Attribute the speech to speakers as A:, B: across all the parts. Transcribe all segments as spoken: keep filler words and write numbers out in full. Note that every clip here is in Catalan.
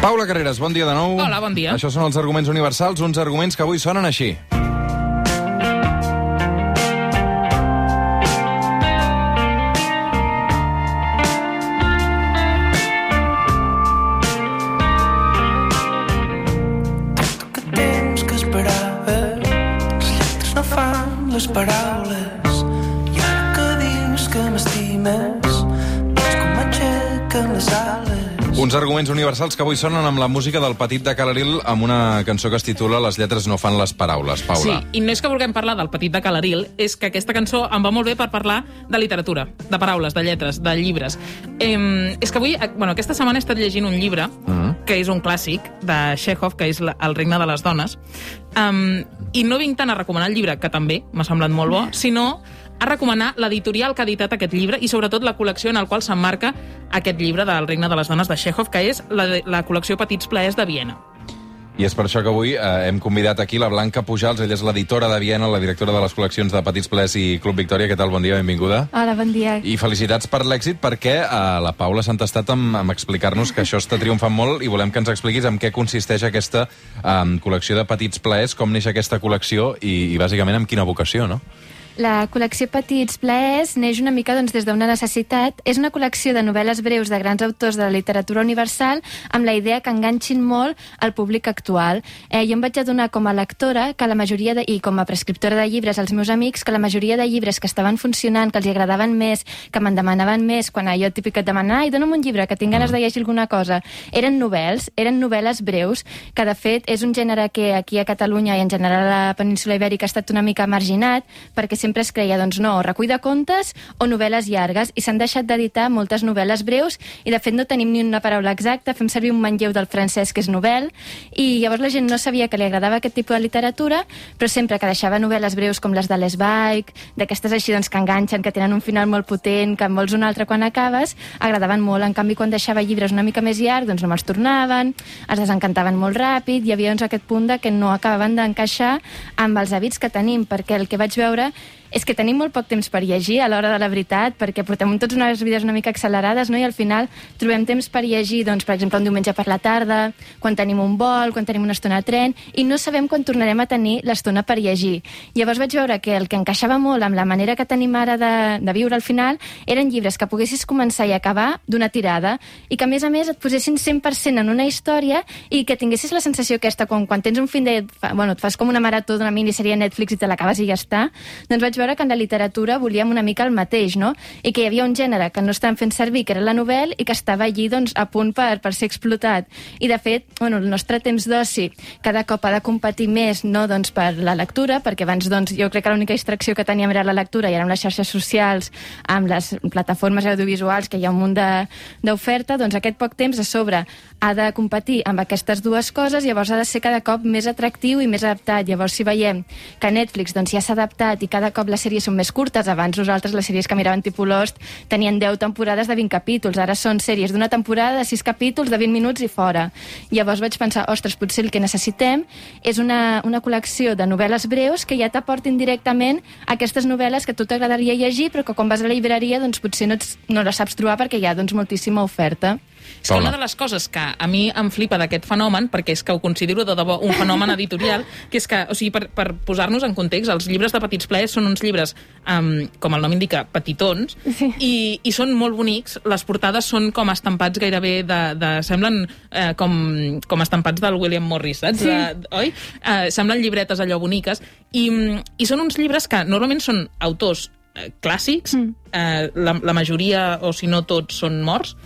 A: Paula Carreras, bon dia de nou.
B: Hola, bon dia.
A: Això són els arguments universals, uns arguments que avui sonen així.
C: Que temps que esperaves, les lletres no fan les paraules, i ara que dius que m'estimes, veig com m'aixequen les ales.
A: Uns arguments universals que avui sonen amb la música del Petit de Calaril, amb una cançó que es titula Les lletres no fan les paraules. Paula.
B: Sí, i no és que vulguem parlar del Petit de Calaril, és que aquesta cançó em va molt bé per parlar de literatura, de paraules, de lletres, de llibres. Eh, és que avui, bueno, aquesta setmana he estat llegint un llibre, mm. que és un clàssic de Chekhov, que és El regne de les dones, um, i no vinc tant a recomanar el llibre, que també m'ha semblat molt bo, sinó a recomanar l'editorial que ha editat aquest llibre i sobretot la col·lecció en el qual s'emmarca aquest llibre del regne de les dones de Chekhov, que és la, la col·lecció Petits plaers de Viena.
A: I és per això que avui eh, hem convidat aquí la Blanca Pujals, ella és l'editora de Viena, la directora de les col·leccions de Petits Plaers i Club Victòria. Què tal? Bon dia, benvinguda.
D: Hola, bon dia.
A: I felicitats per l'èxit, perquè eh, la Paula s'ha entestat amb, amb explicar-nos que això està triomfant molt i volem que ens expliquis en què consisteix aquesta eh, col·lecció de Petits Plaers, com neix aquesta col·lecció i, i bàsicament amb quina vocació, no?
D: La col·lecció Petits Plaers neix una mica doncs, des d'una necessitat. És una col·lecció de novel·les breus de grans autors de la literatura universal amb la idea que enganxin molt al públic actual. Eh, jo em vaig adonar com a lectora que la majoria de, i com a prescriptora de llibres als meus amics que la majoria de llibres que estaven funcionant, que els agradaven més, que me'n demanaven més, quan allò típic et demana ai, dona'm un llibre, que tinc ganes de llegir alguna cosa, eren novel·les, eren novel·les breus, que de fet és un gènere que aquí a Catalunya i en general a la península Ibèrica ha estat una mica marginat, perquè sempre es creia, doncs no, recull de contes o novel·les llargues, i s'han deixat d'editar moltes novel·les breus, i de fet no tenim ni una paraula exacta, fem servir un manlleu del francès que és novel, i llavors la gent no sabia que li agradava aquest tipus de literatura, però sempre que deixava novel·les breus com les de l'Esbaig, d'aquestes així doncs, que enganxen, que tenen un final molt potent, que en vols un altre quan acabes, agradaven molt. En canvi, quan deixava llibres una mica més llargs, doncs no me'ls tornaven, es desencantaven molt ràpid, hi havia doncs, aquest punt de que no acabaven d'encaixar amb els hàbits que tenim, perquè el que vaig veure és que tenim molt poc temps per llegir a l'hora de la veritat, perquè portem tots unes vides una mica accelerades, no? I al final trobem temps per llegir, doncs, per exemple, un diumenge per la tarda, quan tenim un vol, quan tenim una estona a tren, i no sabem quan tornarem a tenir l'estona per llegir. Llavors vaig veure que el que encaixava molt amb la manera que tenim ara de, de viure al final eren llibres que poguessis començar i acabar d'una tirada, i que a més a més et posessin cent per cent en una història i que tinguessis la sensació aquesta, quan, quan tens un fin de... Bueno, et fas com una marató d'una minissèrie a Netflix i te l'acabes i ja està, doncs vaig veure que en la literatura volíem una mica el mateix, no? I que hi havia un gènere que no estàvem fent servir, que era la novel·la, i que estava allí doncs, a punt per, per ser explotat. I de fet, bueno, el nostre temps d'oci cada cop ha de competir més, no, doncs, per la lectura, perquè abans doncs, jo crec que l'única distracció que teníem era la lectura, i ara amb les xarxes socials, amb les plataformes audiovisuals, que hi ha un munt d'oferta, doncs aquest poc temps a sobre ha de competir amb aquestes dues coses, llavors ha de ser cada cop més atractiu i més adaptat. Llavors, si veiem que Netflix doncs, ja s'ha adaptat i cada cop les sèries són més curtes, abans nosaltres les sèries que miràvem tipus Lost tenien deu temporades de vint capítols, ara són sèries d'una temporada de sis capítols de vint minuts i fora. Llavors vaig pensar, ostres, potser el que necessitem és una, una col·lecció de novel·les breus que ja t'aportin directament aquestes novel·les que a tu t'agradaria llegir, però que quan vas a la llibreria doncs, potser no, ets, no les saps trobar perquè hi ha doncs, moltíssima oferta.
B: És que una de les coses que a mi em flipa d'aquest fenomen, perquè és que ho considero de debò un fenomen editorial, que és que, o sigui, per, per posar-nos en context, els llibres de Petits Plaers són uns llibres, um, com el nom indica, petitons, sí. i, i són molt bonics. Les portades són com estampats gairebé de... de semblen eh, com, com estampats del William Morris, saps? Sí. De, oi? Eh, semblen llibretes allò boniques. I, i són uns llibres que normalment són autors eh, clàssics, mm. eh, la, la majoria, o si no tots, són morts,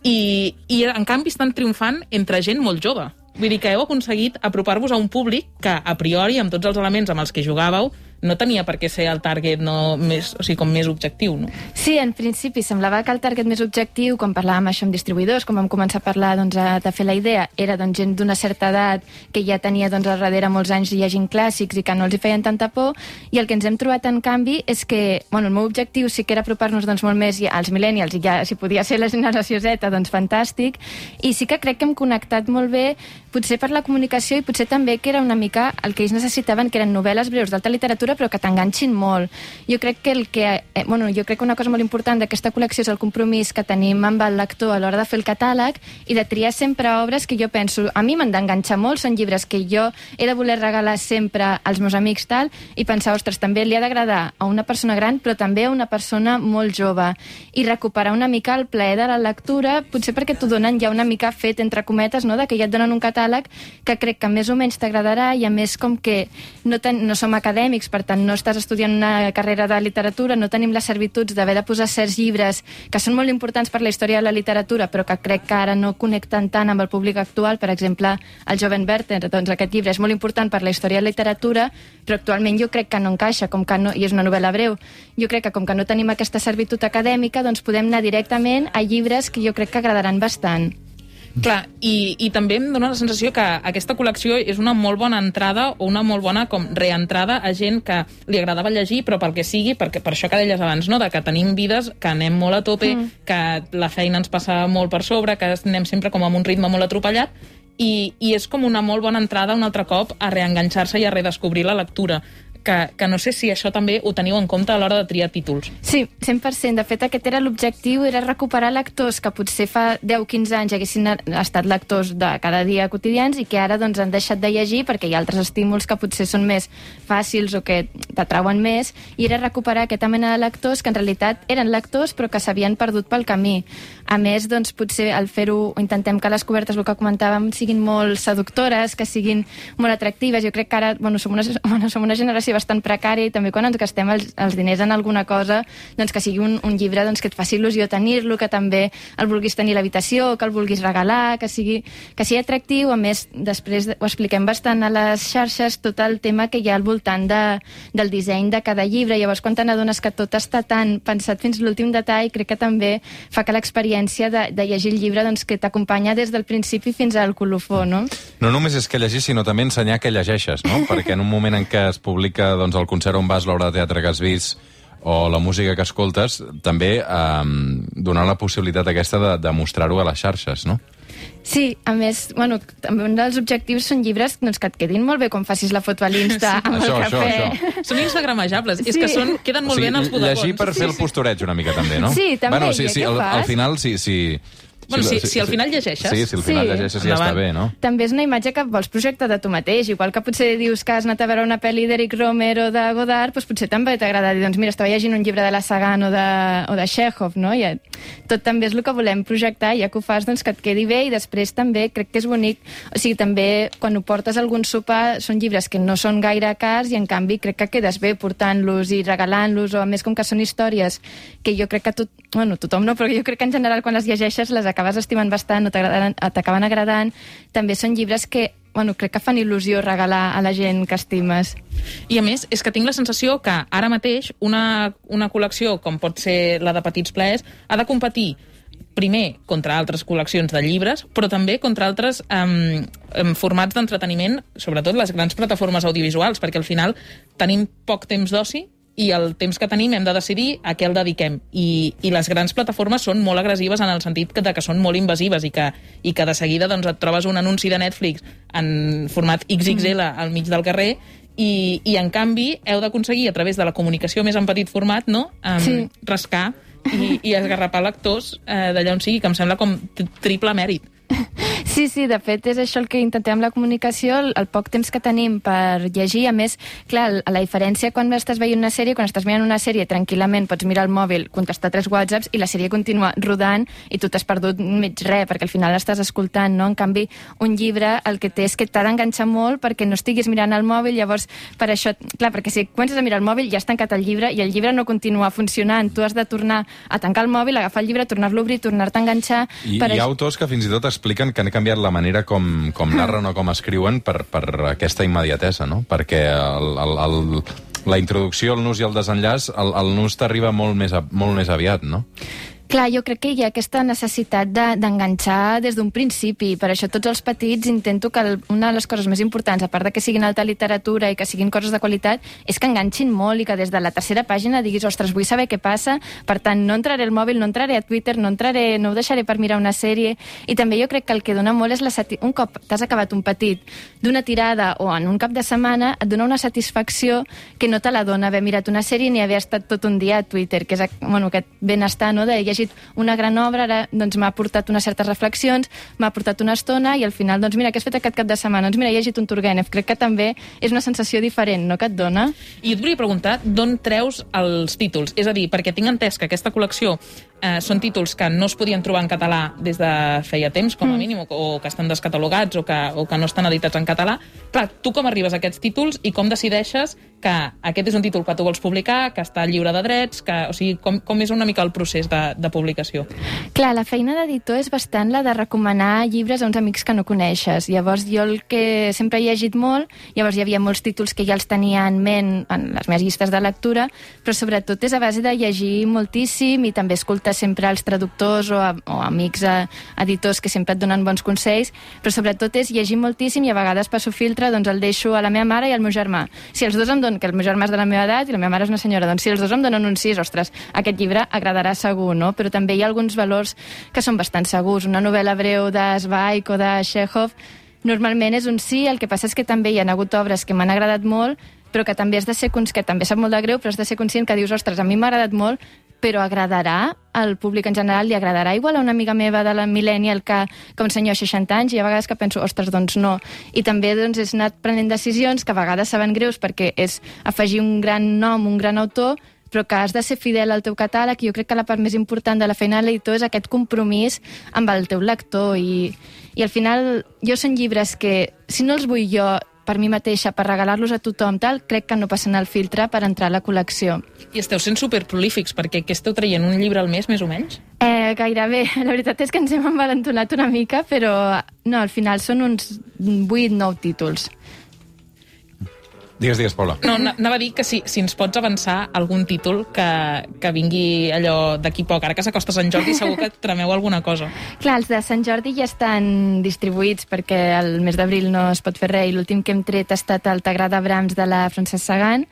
B: I, i en canvi estan triomfant entre gent molt jove. Vull dir que heu aconseguit apropar-vos a un públic que, a priori, amb tots els elements amb els que jugàveu, no tenia per què ser el target no, més, o sigui, com més objectiu, no?
D: Sí, en principi semblava que el target més objectiu, quan parlàvem això amb distribuïdors, quan vam començar a parlar doncs, a, de fer la idea, era doncs, gent d'una certa edat que ja tenia doncs, al darrere molts anys llegint clàssics i que no els hi feien tanta por, i el que ens hem trobat en canvi és que, bueno, el meu objectiu sí que era apropar-nos doncs, molt més als millennials, i ja si podia ser la generació Z, doncs fantàstic, i sí que crec que hem connectat molt bé, potser per la comunicació i potser també que era una mica el que ells necessitaven, que eren novel·les breus d'alta literatura literatura, però que t'enganxin molt. Jo crec que el que, eh, bueno, jo crec que una cosa molt important d'aquesta col·lecció és el compromís que tenim amb el lector a l'hora de fer el catàleg i de triar sempre obres que jo penso, a mi m'han d'enganxar molt, són llibres que jo he de voler regalar sempre als meus amics tal, i pensar, ostres, també li ha d'agradar a una persona gran, però també a una persona molt jove. I recuperar una mica el plaer de la lectura, potser perquè t'ho donen ja una mica fet, entre cometes, no?, de que ja et donen un catàleg que crec que més o menys t'agradarà, i a més com que no, ten, no som acadèmics, per tant no estàs estudiant una carrera de literatura, no tenim les servituds d'haver de posar certs llibres que són molt importants per la història de la literatura, però que crec que ara no connecten tant amb el públic actual. Per exemple, el Joven Werther, doncs aquest llibre és molt important per la història de la literatura, però actualment jo crec que no encaixa, com que no, i és una novel·la breu. Jo crec que com que no tenim aquesta servitud acadèmica, doncs podem anar directament a llibres que jo crec que agradaran bastant.
B: Clar, i, i també em dóna la sensació que aquesta col·lecció és una molt bona entrada o una molt bona com reentrada a gent que li agradava llegir, però pel que sigui, perquè per això que deies abans, no?, de que tenim vides, que anem molt a tope, mm. que la feina ens passa molt per sobre, que anem sempre com amb un ritme molt atropellat, i, i és com una molt bona entrada un altre cop a reenganxar-se i a redescobrir la lectura. Que, que no sé si això també ho teniu en compte a l'hora de triar títols.
D: Sí, cent per cent. De fet, aquest era l'objectiu, era recuperar lectors que potser fa deu o quinze anys haguessin estat lectors de cada dia quotidians i que ara doncs, han deixat de llegir perquè hi ha altres estímuls que potser són més fàcils o que t'atrauen més, i era recuperar aquesta mena de lectors que en realitat eren lectors però que s'havien perdut pel camí. A més, doncs, potser al fer-ho intentem que les cobertes, el que comentàvem, siguin molt seductores, que siguin molt atractives. Jo crec que ara bueno, som, una, bueno, som una generació bastant precària, i també quan ens gastem els, els diners en alguna cosa, doncs que sigui un, un llibre doncs, que et faci il·lusió tenir-lo, que també el vulguis tenir a l'habitació, que el vulguis regalar, que sigui, que sigui atractiu. A més, després ho expliquem bastant a les xarxes, tot el tema que hi ha al voltant de, del disseny de cada llibre. Llavors, quan te n'adones que tot està tan pensat fins l'últim detall, crec que també fa que l'experiència de, de llegir el llibre doncs, que t'acompanya des del principi fins al colofó, no?
A: No només és que llegir, sinó també ensenyar que llegeixes, no? Perquè en un moment en què es publica doncs, el concert on vas, l'obra de teatre que has vist o la música que escoltes, també eh, donar la possibilitat aquesta de, de mostrar-ho a les xarxes, no?
D: Sí, a més, bueno, també un dels objectius són llibres doncs, que et quedin molt bé quan facis la foto a l'Insta amb
A: això,
D: el cafè.
A: Això, això.
B: Són instagramejables,
D: Sí.
B: és que són, queden molt
A: O sigui,
B: bé en els bodegons.
A: llegir per fer el postureig una mica també, no?
D: Sí, també,
A: Bueno, sí,
D: ja
A: sí,
D: què
A: al,
D: fas?
A: al final, sí, sí.
B: Bueno, si, si al final llegeixes...
A: Sí, si al final
D: Sí.
A: llegeixes ja
B: Endavant.
A: està bé, no?
D: També és una imatge que vols projectar de tu mateix. Igual que potser dius que has anat a veure una pel·li d'Eric Romer o de Godard, doncs potser també t'agrada dir, doncs mira, estava llegint un llibre de la Sagan o de, o de Chekhov, no? I tot també és el que volem projectar, ja que ho fas, doncs que et quedi bé, i després també crec que és bonic. O sigui, també quan ho portes a algun sopar són llibres que no són gaire cars i en canvi crec que quedes bé portant-los i regalant-los, o a més com que són històries que jo crec que tot, bueno, tothom no, però jo crec que en general quan les llegeixes les acabes estimant bastant, no t'acaben agradant. També són llibres que, bueno, crec que fan il·lusió regalar a la gent que estimes.
B: I a més, és que tinc la sensació que ara mateix una, una col·lecció, com pot ser la de Petits Plaers, ha de competir primer contra altres col·leccions de llibres, però també contra altres um, um, formats d'entreteniment, sobretot les grans plataformes audiovisuals, perquè al final tenim poc temps d'oci i el temps que tenim hem de decidir a què el dediquem. I, i les grans plataformes són molt agressives en el sentit que, de que són molt invasives i que, i que de seguida doncs, et trobes un anunci de Netflix en format ics ics ele al mig del carrer i, i en canvi heu d'aconseguir a través de la comunicació més en petit format, no? Um,
D: Sí.
B: rascar i, i esgarrapar lectors eh, d'allà on sigui, que em sembla com triple mèrit.
D: Sí, sí, de fet és això el que intentem amb la comunicació, el, el poc temps que tenim per llegir. A més, clar, la diferència quan estàs veient una sèrie, quan estàs mirant una sèrie tranquil·lament, pots mirar el mòbil, contestar tres whatsapps i la sèrie continua rodant i tu t'has perdut mig res, perquè al final l'estàs escoltant, no? En canvi, un llibre el que té és que t'ha d'enganxar molt perquè no estiguis mirant el mòbil, llavors per això, clar, perquè si comences a mirar el mòbil ja has tancat el llibre i el llibre no continua funcionant, tu has de tornar a tancar el mòbil, agafar el llibre, tornar-lo a obrir, tornar-te a enganxar.
A: I
D: per
A: hi ha
D: això...
A: autors que fins i tot expliquen que han canviat la manera com, com narren o com escriuen per, per aquesta immediatesa, no? Perquè el, el, el, la introducció, el nus i el desenllaç, el, el nus t'arriba molt, més a, molt més aviat, no?
D: Clar, jo crec que hi ha aquesta necessitat de, d'enganxar des d'un principi. Per això tots els petits intento que el, una de les coses més importants, a part de que siguin alta literatura i que siguin coses de qualitat, és que enganxin molt i que des de la tercera pàgina diguis, ostres, vull saber què passa, per tant, no entraré al mòbil, no entraré a Twitter, no entraré, no ho deixaré per mirar una sèrie. I també jo crec que el que dona molt és la sati... un cop t'has acabat un petit d'una tirada o en un cap de setmana, et dona una satisfacció que no te la dona haver mirat una sèrie ni haver estat tot un dia a Twitter, que és bueno, aquest benestar, no?, de llegir una gran obra, ara doncs, m'ha portat unes certes reflexions, m'ha portat una estona i al final, doncs mira, què has fet aquest cap de setmana? Doncs mira, he llegit un Turgenev. Crec que també és una sensació diferent, no?, que et dona.
B: I et volia preguntar d'on treus els títols? És a dir, perquè tinc entès que aquesta col·lecció eh, són títols que no es podien trobar en català des de feia temps, com a mm. mínim, o, o que estan descatalogats o que, o que no estan editats en català. Clar, tu com arribes a aquests títols i com decideixes que aquest és un títol que tu vols publicar, que està lliure de drets, que, o sigui, com, com és una mica el procés de, de publicació?
D: Clar, la feina d'editor és bastant la de recomanar llibres a uns amics que no coneixes. Llavors, jo el que sempre he llegit molt, llavors hi havia molts títols que ja els tenia en ment en les meves llistes de lectura, però sobretot és a base de llegir moltíssim i també escoltar sempre els traductors o, a, o amics a, editors que sempre et donen bons consells, però sobretot és llegir moltíssim i a vegades passo filtre, doncs el deixo a la meva mare i al meu germà. Si els dos em donen, que el meu germà és de la meva edat i la meva mare és una senyora, doncs si els dos em donen un sis, ostres, aquest llibre agradarà segur, no? Però també hi ha alguns valors que són bastant segurs. Una novel·la breu de Zweig o de Chekhov normalment és un sí, el que passa és que també hi ha hagut obres que m'han agradat molt, però que també has de ser conscient, que també sap molt de greu, però has de ser conscient que dius, ostres, a mi m'ha agradat molt, però agradarà al públic en general, li agradarà igual a una amiga meva de la Millennial que, que un senyor de seixanta anys, i a vegades que penso, ostres, doncs no. I també doncs, és anat prenent decisions que a vegades saben greus perquè és afegir un gran nom, un gran autor, però que has de ser fidel al teu catàleg, i jo crec que la part més important de la feina de l'editor és aquest compromís amb el teu lector, i, i al final jo són llibres que, si no els vull jo per mi mateixa, per regalar-los a tothom, tal, crec que no passen el filtre per entrar a la col·lecció.
B: I esteu sent superprolífics, perquè què esteu traient, un llibre al mes, més o menys?
D: Eh, gairebé. La veritat és que ens hem envalentonat una mica, però no, al final són uns vuit nou títols.
A: Digues, digues, Paula.
B: No, anava a dir que si, si ens pots avançar algun títol que, que vingui allò d'aquí poc. Ara que s'acosta Sant Jordi segur que tremeu alguna cosa.
D: Clar, els de Sant Jordi ja estan distribuïts perquè el mes d'abril no es pot fer res, i l'últim que hem tret ha estat el T'agrada Brahms de la Francesc Sagan,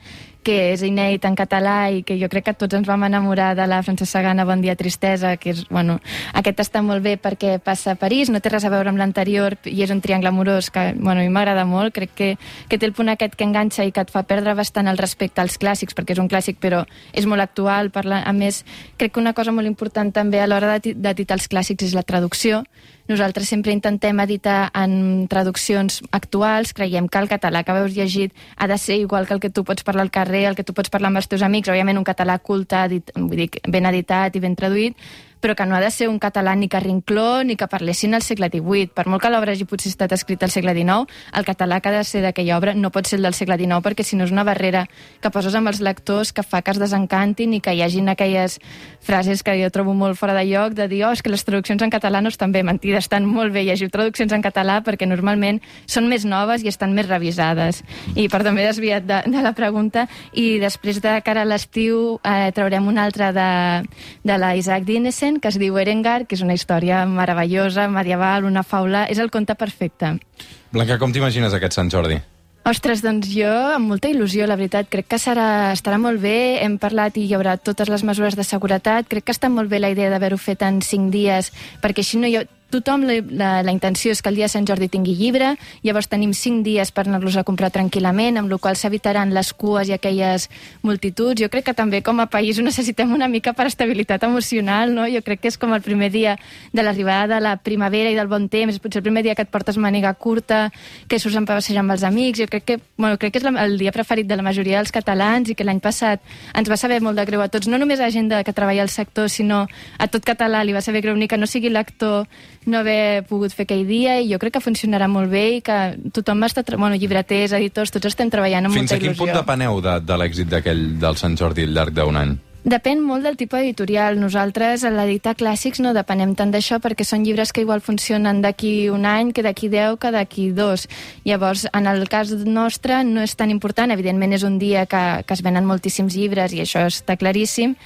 D: que és inèdit en català i que jo crec que tots ens vam enamorar de la Francesc Sagan a Bon dia tristesa, que és, bueno, aquest està molt bé perquè passa a París, no té res a veure amb l'anterior i és un triangle amorós que, bueno, a mi m'agrada molt, crec que, que té el punt aquest que enganxa i que et fa perdre bastant el respecte als clàssics, perquè és un clàssic però és molt actual, parla, a més crec que una cosa molt important també a l'hora d'editar els clàssics és la traducció. Nosaltres sempre intentem editar en traduccions actuals, creiem que el català que veus llegit ha de ser igual que el que tu pots parlar al carrer, el que tu pots parlar amb els teus amics, òbviament un català culte, edit, vull dir, ben editat i ben traduït, però que no ha de ser un català ni carrincló ni que parlessin al segle divuit. Per molt que l'obra hagi potser estat escrita al segle dinou, el català que ha de ser d'aquella obra no pot ser el del segle dinou, perquè si no és una barrera que poses amb els lectors que fa que es desencantin i que hi hagin aquelles frases que jo trobo molt fora de lloc, de dir, oh, és que les traduccions en català no estan bé. Mentida, estan molt bé. Llegiu traduccions en català perquè normalment són més noves i estan més revisades. I perdó, m'he desviat de, de la pregunta. I després de cara a l'estiu eh, traurem una altra de, de la Isaac Dinesen, que es diu Erengar, que és una història meravellosa, medieval, una faula. És el conte perfecte.
A: Blanca, com t'imagines aquest Sant Jordi?
D: Ostres, doncs jo amb molta il·lusió, la veritat. Crec que serà, estarà molt bé. Hem parlat i hi haurà totes les mesures de seguretat. Crec que està molt bé la idea d'haver-ho fet en cinc dies, perquè així no hi ha... Tothom, la, la, la intenció és que el dia de Sant Jordi tingui llibre, llavors tenim cinc dies per anar-los a comprar tranquil·lament, amb la qual s'evitaran les cues i aquelles multituds. Jo crec que també com a país ho necessitem una mica per estabilitat emocional, no? Jo crec que és com el primer dia de l'arribada de la primavera i del bon temps, potser el primer dia que et portes màniga curta, que surts a passejar amb els amics. Jo crec que, bueno, crec que és la, el dia preferit de la majoria dels catalans i que l'any passat ens va saber molt de greu a tots, no només a gent de, que treballa al sector, sinó a tot català li va saber greu ni que no sigui lector no haver pogut fer aquell dia, i jo crec que funcionarà molt bé i que tothom està... Bueno, llibreters, editors, tots estem treballant amb
A: Fins
D: molta il·lusió.
A: Fins a quin punt depeneu de, de l'èxit d'aquell del Sant Jordi al llarg d'un any?
D: Depèn molt del tipus editorial. Nosaltres, a l'editar clàssics, no depenem tant d'això perquè són llibres que igual funcionen d'aquí un any, que d'aquí deu, que d'aquí dos. Llavors, en el cas nostre, no és tan important. Evidentment, és un dia que, que es venen moltíssims llibres i això està claríssim,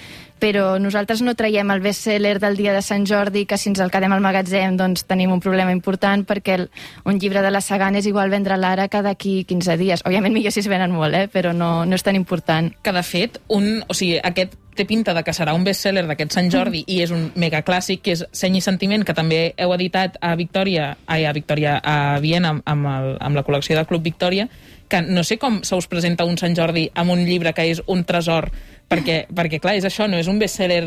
D: però nosaltres no traiem el best-seller del dia de Sant Jordi, que si ens el quedem al magatzem doncs tenim un problema important, perquè el, un llibre de la Sagan és igual vendre l'ara que d'aquí quinze dies. Òbviament millor si es venen molt, eh? Però no, no és tan important.
B: Que de fet, un, o sigui, aquest té pinta de que serà un best-seller d'aquest Sant Jordi mm. i és un megaclàssic, que és Seny i Sentiment, que també heu editat a Victòria, ai, a Victòria, a Viena, amb, el, amb la col·lecció del Club Victòria, que no sé com se us presenta un Sant Jordi amb un llibre que és un tresor, perquè, perquè clar, és això, no és un best-seller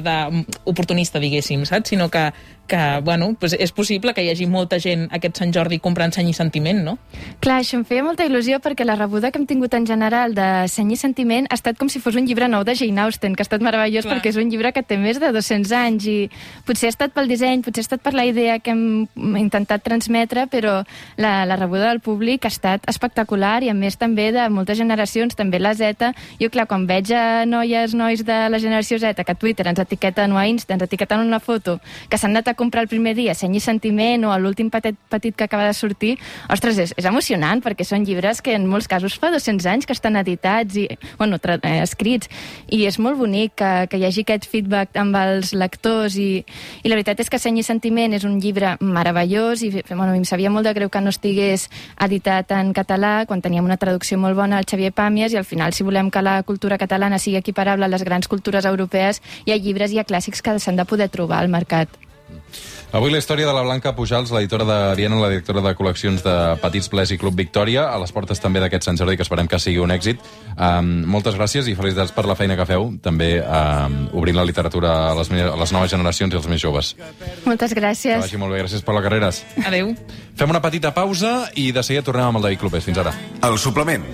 B: oportunista, diguéssim, saps? Sinó que, que bueno, pues és possible que hi hagi molta gent aquest Sant Jordi comprant Seny i Sentiment, no?
D: Clar, això em feia molta il·lusió perquè la rebuda que hem tingut en general de Seny i Sentiment ha estat com si fos un llibre nou de Jane Austen, que ha estat meravellós. Clar. Perquè és un llibre que té més de dos-cents anys i potser ha estat pel disseny, potser ha estat per la idea que hem intentat transmetre, però la, la rebuda del públic ha estat espectacular i a més també de moltes generacions, també la Z. Jo, clar, quan veig a noies, nois de la generació Z que a Twitter ens etiqueten o a Insta ens etiqueten una foto que s'han anat a comprar el primer dia Seny i Sentiment o l'últim petit, petit que acaba de sortir, ostres, és, és emocionant perquè són llibres que en molts casos fa dos-cents anys que estan editats i, bueno, tra eh, escrits, i és molt bonic que, que hi hagi aquest feedback amb els lectors i, i la veritat és que Seny i Sentiment és un llibre meravellós i bueno, em sabia molt de greu que no estigués editat en català quan teníem una traducció molt bona al Xavier Pàmies, i al final, si volem que la cultura catalana sigui equiparable a les grans cultures europees, hi ha llibres i hi ha clàssics que s'han de poder trobar al mercat.
A: Avui la història de la Blanca Pujals, l'editora de Viena, la directora de col·leccions de Petits Plers i Club Victòria, a les portes també d'aquest Sant Jordi, que esperem que sigui un èxit. Um, moltes gràcies i felicitats per la feina que feu, també um, obrint la literatura a les, a les noves generacions i als més joves.
D: Moltes gràcies.
A: Que vagi molt bé, gràcies per les carreres.
B: Adéu.
A: Fem una petita pausa i de seguida tornem amb el David Clopés. Fins ara.
E: El suplement.